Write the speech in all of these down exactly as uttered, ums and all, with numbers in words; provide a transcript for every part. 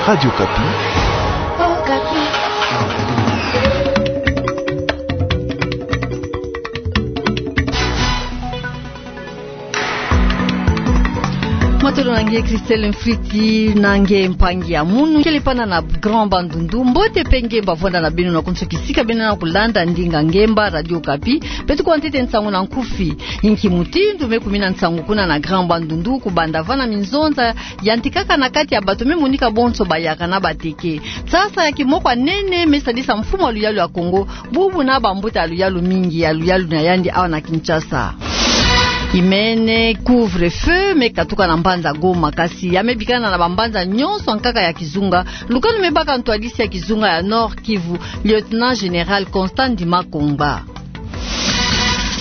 Radio Okapi. Matondo na nge Christelle Mfriti, na nge mpangi ya munu kele pana na Grand Bandundu. Mbote mpe nge mba vwanda na beno na konso kisika beno na kulanda ndinga ngemba Radio Okapi. Beto kwa ntete nsangu na nkufi. Inki mutindu me kumina nsangu kuna na Grand Bandundu, kubanda vana minzonza yantikaka na kati ya bato me monika bonso bayaka na bateke. Nsasa ya kimoko ya nene me sadisa mfumu ya luyalu ya Kongo bubu na bambuta ya luyalu mingi ya luyalu na yandi awa na Kinshasa. Imene, couvre-feu me katuka na mbanza Goma, kasi ya me bikana na bambanza nyonso ya nkaka ya kizunga. Lukanu me baka ntwadisi ya kizunga ya Nord-Kivu, Lieutenant Général Constant Ndima Kongba.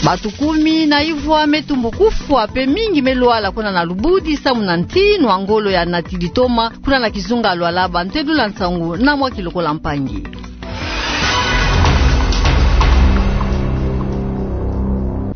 Bato kumi na ivwa me tumbu kufwa mpe mingi me lwala kuna na Lubudi samu na ntinu ya ngolo ya Natili Toma kuna na kizunga ya Lualaba. Ntedu la nsangu na mwa kilokola mpangi.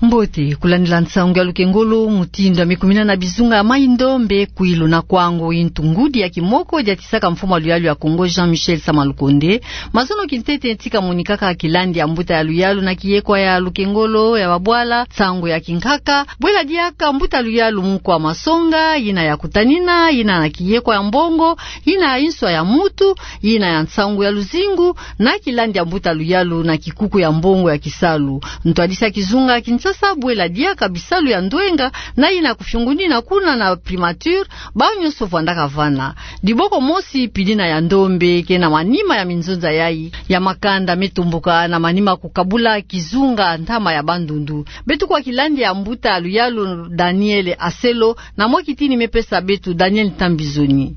Mbote, kulandila nsangu ya lukengolo mutindu ya me kumina na bizunga ya Mai-Ndombe, Kwilu na Kwango. Intu ngudi ya kimoko diatisaka mfumu ya luyalu ya Kongo Jean-Michel Sama Lukonde mazono kintete ntika monikaka kilandi ya mbuta ya luyalu na kiyekwa ya lukengolo ya babwala, nsangu ya kinkaka, bwela diaka mbuta luyalu mukwa masonga, yina ya kutanina, yina na kiyekwa ya mbongo, yina ya inswa ya mutu, yina ya nsangu ya luzingu, na kilandi ya mbuta luyalu na kikuku ya mbongo ya kisalu. Ntwadisi ya kizunga ya Kinshasa bwela diaka bisalu ya ndwenga, na yina kufiungunina kuna na primature, bawu nyonso vwandaka vana. Diboko mosi pidina ya ndombe ke na manima ya minzonza yayi ya makanda me tomboka na manima kukabula kizunga ntama ya Bandundu. Beto kwa kilandi ya mbuta luyalu Daniel Aselo, na mwa kitini me pesa beto Daniel Tambizoni.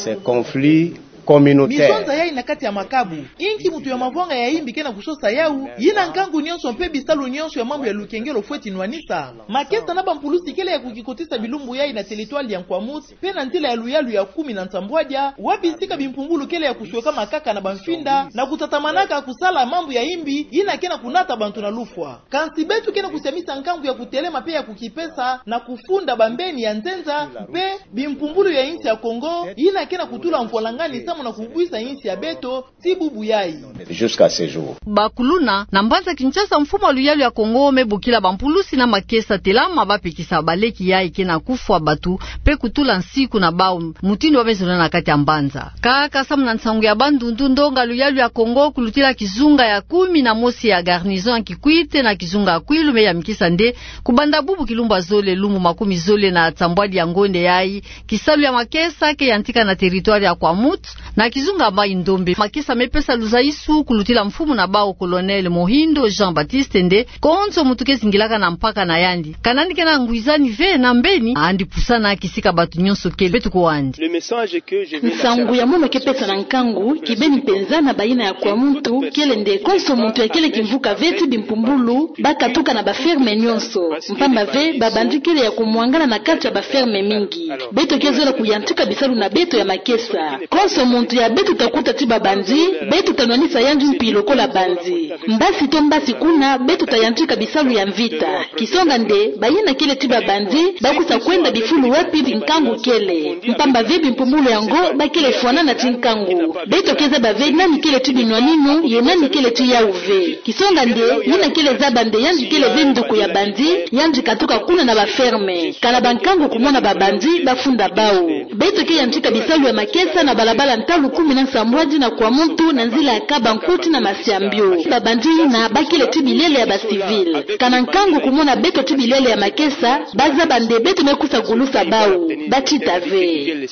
Ce conflit communautaire. Minzonza yayi na kati ya makabu. Inki mutu ya mavwanga ya imbi ke na kusosa yawu, yina nkangu nyonso mpe bisalu nyonso ya mambu ya lukengolo fweti nwanisa. Makesa na bampulusi kele ya kukikotisa bilumbu yayi na territoire ya Nkwamouth, mpe na nzila ya luyalu ya kumi na nsambwadia, wapi sika bimpumbulu kele ya kusweka makaka na bamfinda, na kutatamanaka kusala mambu ya imbi, yina ke na kunata bantu na lufwa. Kansi beto ke na kusiamisa nkangu ya kutelema mpe ya kukipesa, na kufunda bambeni ya nzenza, mpe bimpumbulu ya insi ya Kongo, yina ke na kutula mfwalangani samu na kubwisa insi ya beto, ti bubu yayi. Jusqu'à ce jour. Bakuluna, na mbanza Kinshasa, mfumu ya luyalu ya Kongo me bokila bampulusi na makesa telama bapekisa baleki yayi ke na kufwa bato, mpe kutula nsiku na bawu, mutindu wa me zonza na kati ya mbanza. Kaka samu na nsangu ya Bandundu, ndonga luyalu ya Kongo kulutila kizunga ya kumi na mosi ya garnison ya Kikwit na kizunga ya Kwilu me yamkisa nde, kubanda bubu kilumbu ya zole lumbu makumi zole na nsambwadi ya ngonde yayi, kisalu ya makesa ke yantika na territoire ya Nkwamouth, na kizunga ya Mai-Ndombe. Makesa me pesa luzaisu kulutila mfumu na bawu, Colonel Mohindo Jean-Baptiste, nde konso mutu ke zingilaka na mpaka na yandi, kana yandi ke na ngwizani ve na mbeni, yandi pusana kisika bato nyonso kele. Beto kwandi. Nsangu ya mono ke pesa na nkangu kibeni mpenza na bayina ya Nkwamouth kele nde konso mutu ya kele kimvuka ve ti bimpumbulu, bakatuka na baferme nyonso. Mpamba ve, babandi kele ya kumwangana na kati ya baferme mingi. Beto ke zola kuyantika bisalu na beto ya makesa. Konso muntu ya beto ta kuta ti babandi, beto ta nwanisa yandi mpi lokola bandi. Mbasi to mbasi kuna, beto ta yantika bisalu ya mvita. Kisonga nde, bayina kele ti babandi, bakwiza kwenda bifulu wapi nkangu kele. Mpamba ve bimpumbulu yango, bakele fwanana ti nkangu. Beto ke zaba ve nani kele ti binwaninu, ye nani kele ti yawu ve. Kisonga nde, yina kele zaba nde yandi kele ve nduku ya bandi, yandi katuka kuna na baferme. Kana bankangu kumona babandi, bafunda bawu. Beto ke yantika bisalu ya makesa na balabala ntalu kumi na nsambwadi na Nkwamouth na nzila ya Kabankuti na Masiambio. Babandi yina bakele ti bilele ya bacivil. Kana nkangu kumona beto ti bilele ya makesa, bazaba nde beto me kwiza gulusa bawu. Batita ve.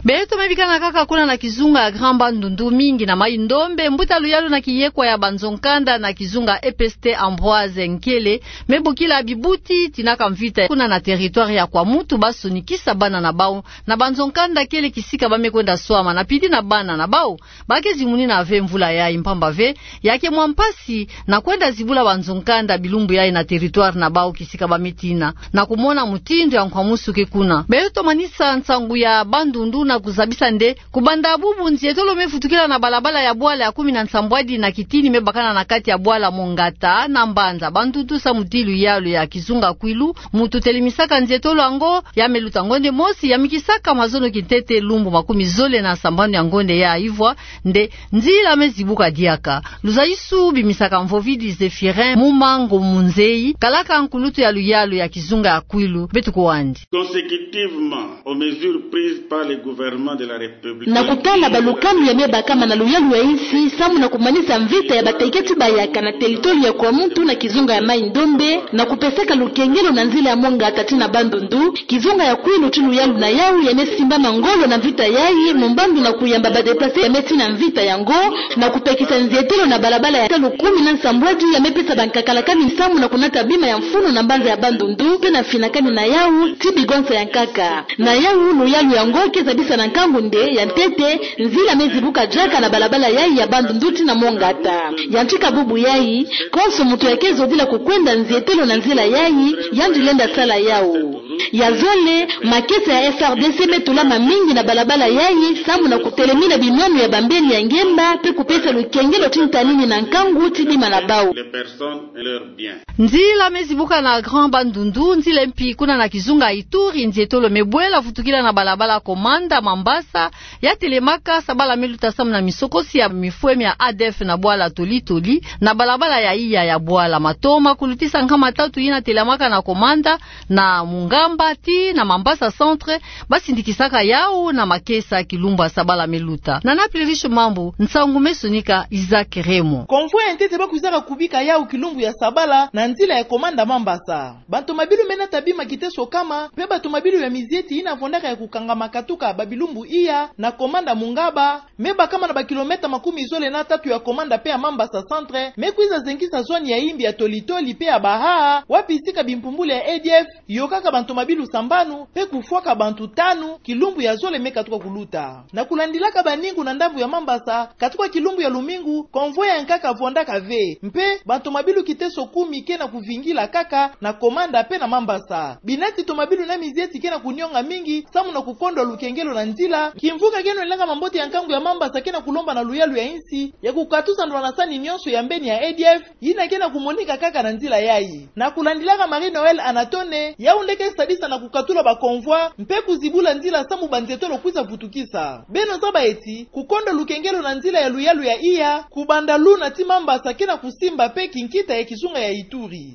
Beto me bikana kaka kuna na kizunga ya Grand Bandundu, mingi na Mai-Ndombe, mbuta luyalu na kiyekwa ya banzo-nkanda na kizunga E P S T Ambroise Nkele, me bokila bibuti tinaka mvita kuna na territoire ya Nkwamouth basonikisa bana na bawu na banzo-nkanda kele kisika ba me kwenda swama na pili na bana na bawu. Ba ke zimunina ve mvula yayi mpamba ve, ya ke mwa mpasi na kwenda zibula banzo-nkanda bilumbu yayi na territoire na bawu kisika ba me tina, na kumona mutindu ya nkwamusu ke kuna. Beto manisa nsangu ya Bandundu na kuzabisa nde, kubanda bubu nzietolo me futukila na balabala ya bwala ya kumi na nsambwadi na kitini me bakana na kati ya bwala Mongata na mbanza Bandundu samu ti luyalu ya kizunga Kwilu, mutu telemisaka nzietolo yango, ya me luta ngonde mosi, ya mikisaka mazono kintete lumbu makumi zole na Sambanu ya ngonde ya ivwa nde nzila me zibuka diaka. Luzaisu bimisaka Mvovidi Zéphirin Muma Ngomunzei, kalaka nkulutu ya luyalu ya kizunga ya Kwilu, beto kwandi. Consécutivement aux mesures prises par le gouvernement de la République. Na kutala balukanu ya me bakama na luyalu ya insi, samu na kumanisa mvita ya bateketi bayaka na teritori ya Kwamouth na kizunga ya Mai-Ndombe, na kupesaka lukengelo na nzila ya Mont-Ngata tii na Bandundu, kizunga ya Kwilu tii luyalu na yawu ya me simbama ngolo na mvita yayi, mu mbandu na kuyamba ba déplacés ya me tii na mvita yango, na kupekisa nzietelo na balabala ya talu kumi na nsambwadi ya me pesa bankaka lakani samu na kunata bima ya mfunu na mbanza ya Bandundu, mpe na finakani na yawu tii bigonsa ya nkaka. Na yawu, luyalu yango ke zabisa na nkangu nde, ya ntete, nzila me zibuka diaka na balabala yayi ya Bandundu tii na Mont-Ngata. Yantika bubu yayi, konso muntu ya ke zodila kukwenda nzietelo na nzila yayi, yandi lenda sala yawu. Ya zole, makesa ya F R D C me tulama mingi na balabala yayi, samu na kutelemina binwanu ya bambeni ya ngemba, mpe kupesa lukengelo tii ntanini na nkangu tii bima na bawu. Les personnes et leurs biens. Nzila me zibuka na Grand Bandundu, nzila mpi kuna na kizunga Ituri, nzietolo me bwela vutukila na balabala Komanda Mambasa, ya telemaka sabala me luta samu na misokosi ya mifwe mia A D F na bwala Toli-Toli, na balabala ya iya ya bwala Matoma, kulutisa nkama tatu yina telemaka na Komanda, na Mungamba tii na Mambasa Centre, ba sindikisaka yawu na makesa kilumbu ya sabala me luta. Nana Pluriche Mambu, nsangu me sonika Isaac Remo. Convoi ya ntete ba kwizaka kubika yawu kilumbu ya sabala na nzila ya Komanda Mambasa. Bantu mabilu me nata bima kiteso kama, mpe bantu mabilu ya mizieti yina vondaka ya kukangama katuka ba bilumbu iya na Komanda Mungamba, me bakama na ba kilomètre makumi zole na tatu ya Komanda mpe ya Mambasa Centre, me kwiza zengisa zone ya imbi ya Toli-Toli mpe ya Bahaa, wapi sika bimpumbulu ya A D F yokaka bantu mabilu sambanu, mpe kufwaka bantu tanu, kilumbu ya zole me katuka kuluta. Na kulandilaka baningu na ndambu ya Mambasa, katuka kilumbu ya lumingu, convoi ya nkaka vondaka ve, mpe bantu mabilu kiteso kumi ke na kuvingila kaka na Komanda mpe na Mambasa. Binati to mabilu na mizieti ke na kunionga mingi, samu na kukondwa lukengelo na nzila, kimvuka keno ilanga mambote ya nkangu ya Mambasa ke na kulomba na luyalu ya insi, ya kukatusa ndwalasani nyonso ya mbeni ya A D F, yina ke na kumonika kaka na nzila yayi. Na kulandilaka Marie-Noëlle Anatone, yawu nde ke sadisa na kukatula ba convoi, mpe kuzibula nzila samu banzietolo kwiza vutukisa. Beno zaba eti, kukondwa lukengelo na nzila ya luyalu ya iya, kubanda Luna tii Mambasa ke na kusimba mpe kinkita ya kizunga ya Ituri.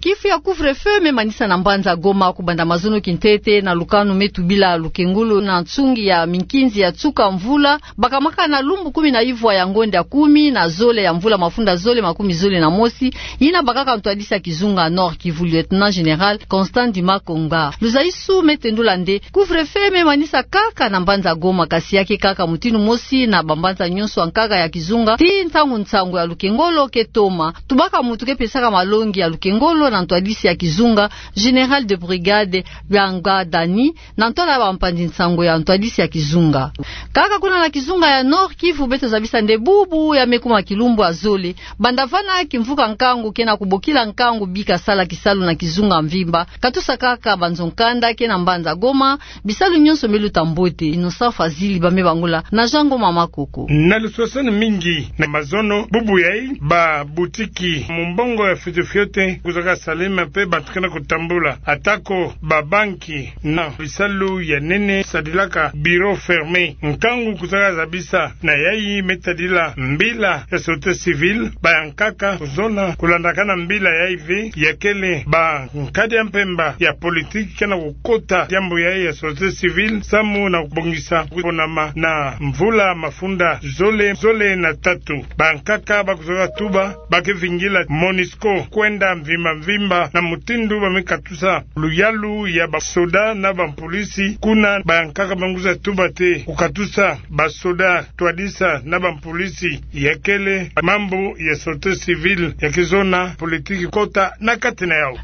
Kifu ya couvre-feu me manisa na mbanza Goma kubanda mazono kintete na lukanu me tubila lukengolo na nsungi ya minkinzi ya tsuka mvula, bakamaka na lumbu kumi na ivwa ya ngonde ya kumi na zole ya mvula mafunda zole makumi zole na mosi, yina bakaka ntwadisi ya kizunga Nord-Kivu, Lieutenant Général Constant Ndima Konga. Luzaisu me tendula nde couvre-feu me manisa kaka na mbanza Goma, kasi ya ke kaka mutindu mosi na bambanza nyonso ya nkaka ya kizunga, tii ntangu nsangu ya lukengolo ke toma. Tubaka muntu ke pesaka malongi ya lukengolo na ntwadisi ya kizunga, Général de brigade Bianga Dani, na ntwala ya bampanzi nsangu ya ntwadisi ya kizunga. Kaka kuna na kizunga ya Nord-Kivu beto zabisa nde bubu ya me kuma kilumbu ya zole. Banda vana kimvuka nkangu ke na kubokila nkangu bika sala kisalu na kizunga mvimba. Katusa kaka banzo nkanda ke na mbanza Goma, bisalu nyonso me luta mbote. Innocent Fazili ba me bangula na Jean Ngoma Makoko. Na luswaswani mingi na mazono bubu yayi, ba boutique mu mbongo ya fioti fioti kwizaka salama mpe bantu ke na kutambula. Atako ba banki na bisalu ya nene sadilaka bureau fermé, nkangu kwizaka zabisa na yayi me tadila mbila ya sûreté civile, ba ya nkaka kuzona kulandakana mbila yayi ve, ya kele ba nkadi ya mpemba ya politique ke na kukota diambu yayi ya sûreté civile, samu na kubongisa kuponama na mvula mafunda zole, zole na tatu. Ba nkaka ba kwizaka tuba, ba ke vingila MONUSCO kwenda mvimba mvimba na mutindu ba me katusa luyalu ya basoda na bampolisi. Kuna ba nkaka ba kwiza tuba te kukatusa basoda, ntwadisi na bampolisi, ya kele mambu ya sûreté civile ya ke zona politique kota na kati na yawu.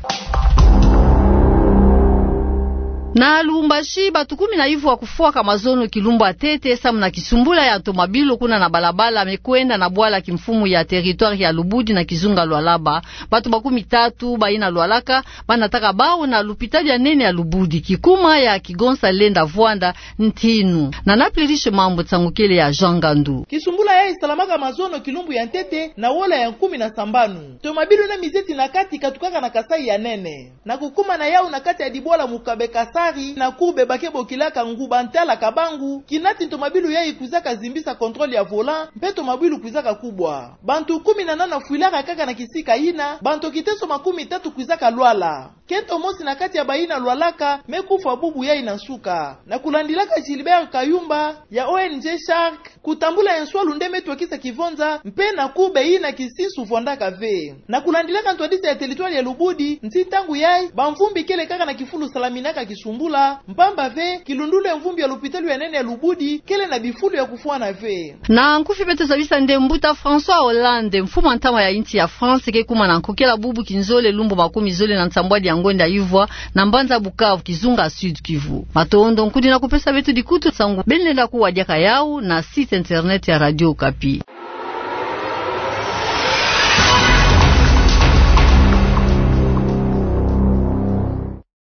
Na Lubumbashi, bantu kumi na ivwa kufwaka mazono kilumbu ya ntete samu na kisumbula ya ntomabilu kuna na balabala me kwenda na bwala kimfumu ya territoire ya Lubudi na kizunga Lualaba. Bantu makumi tatu bayina lwalaka ba nataka bawu na lupitalu ya nene ya Lubudi. Kikuma ya kigonsa lenda vwanda ntinu. Nana Pluriche Mambu, nsangu kele ya Jean Ngandu. Kisumbula yayi salamaka mazono kilumbu ya ntete na wola ya kumi na sambanu. Ntomabilu na mizieti na kati katukaka na Kasaï ya nene. Na kukuma na yawu na kati ya dibwala Mukabe Kasaï, Kari na Kube ba ke bokilaka Nguba Ntala Kabangu, kina ti ntomabilu yayi kwizaka zimbisa contrôle ya volant, mpe tomabilu kwizaka kubwa. Bantu kumi na nana fwilaka kaka na kisika yina, bantu kiteso makumi tatu kwizaka lwala. Kento mosi na kati ya bayina lwalaka me kufwa bubu yayi na nsuka. Na kulandilaka Gilbert Kayumba ya O N G Shark, kutambula enswalu nde me twakisa kivonza, mpe na Kube yina kisinsu vwandaka ve. Na kulandilaka ntwadisi ya territoire ya Lubudi, nti ntangu yayi, bamvumbi kele kaka na kifulu salaminaka kisumbula, mpamba ve, kilundulu ya mvumbi ya lopitalo ya nene ya Lubudi, kele na bifulu ya kufwana ve. Na nkufi beto zabisa nde mbuta François Hollande, mfumu a ntama ya insi ya France, ke kuma na nkokela bubu kinzole lumbu makumi zole na nsambwadi ya ngonda ivwa, na mbanza Bukavu, kizunga Sud-Kivu. Matondo, nkudi na kupesa beto dikutu, nsangu beno lenda kuwa diaka yawu na site internet ya Radio Okapi.